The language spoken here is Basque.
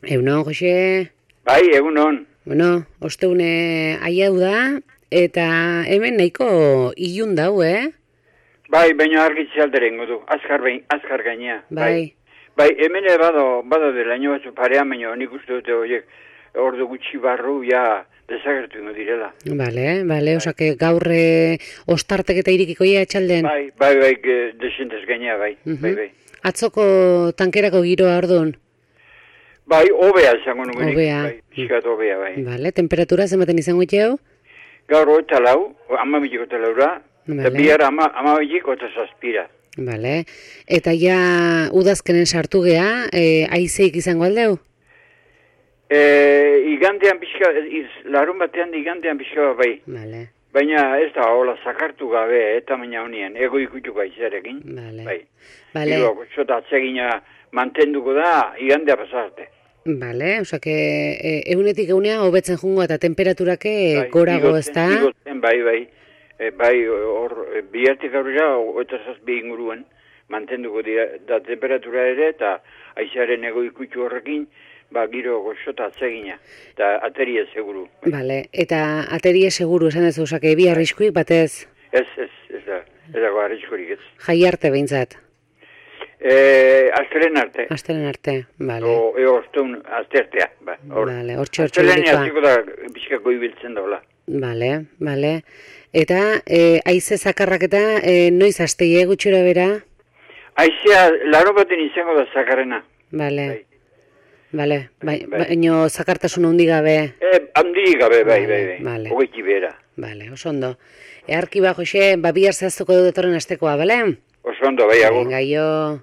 Egunon, Jose. Bai, egunon. Bueno, osteune aiau da, eta hemen nahiko ilun dau, Bai, baina argitze alderen du. Azkar gainea. Bai. Bai, hemen bado dela ino batzu parean, baina nik uste dute horiek ordu gutxi barru ja desagertu ingo direla. Bale, osake gaur ostartek eta irikiko ia etxalden. Bai, desentez gainea, bai. Atzoko tankerako giroa orduan. Bai, obea izango numenik. Obea. Bai, pixkat obea, bai. Bale, temperatura zenbaten izango itxeu? Gaur 24, 24 eta bihar 25 eta 7. Bale, eta ja udazkenen sartu gea, aizeik izango aldeu? Igandean pixka, larun batean igandean pixka, bai. Bale. Baina ez da, hola, zakartu gabe, eta baina honien, ego ikutuko aizarekin. Bale. Bai. Bale. Gero, zota atsegina mantenduko da, igandea pasarte. Bale, osake, egunetik egunea hobetzen jungo eta temperaturake gorago ez da? Bai. Bai, hor, bihartik aurrera, eta zazpi inguruen, mantenduko da temperatura ere, eta aizaren ego ikutu horrekin, giro goxota atsegina, eta ateria seguru. Bale, eta ateria seguru esan ez osake, bi arriskuik batez? Ez dago arriskurik ez. Jai arte behintzat? Aztelen arte. Aztelen arte, bale. Oztun aztertea. Bale, hortxe Aztelen azteko da bizkako ibiltzen daula. Bale. Eta aize zakarrak eta noiz asteie gutxura bera? Aizea, laro baten izango da zakarrena. Bale. Baina zakartasun handi gabe? Handi gabe, bai. Bale. Hogeiti bera. Bale, oso ondo. Earki ba, Jose, bihar zehaztuko dut etorren astekoa, bale? Oso ondo, bai, agur. Venga, jo.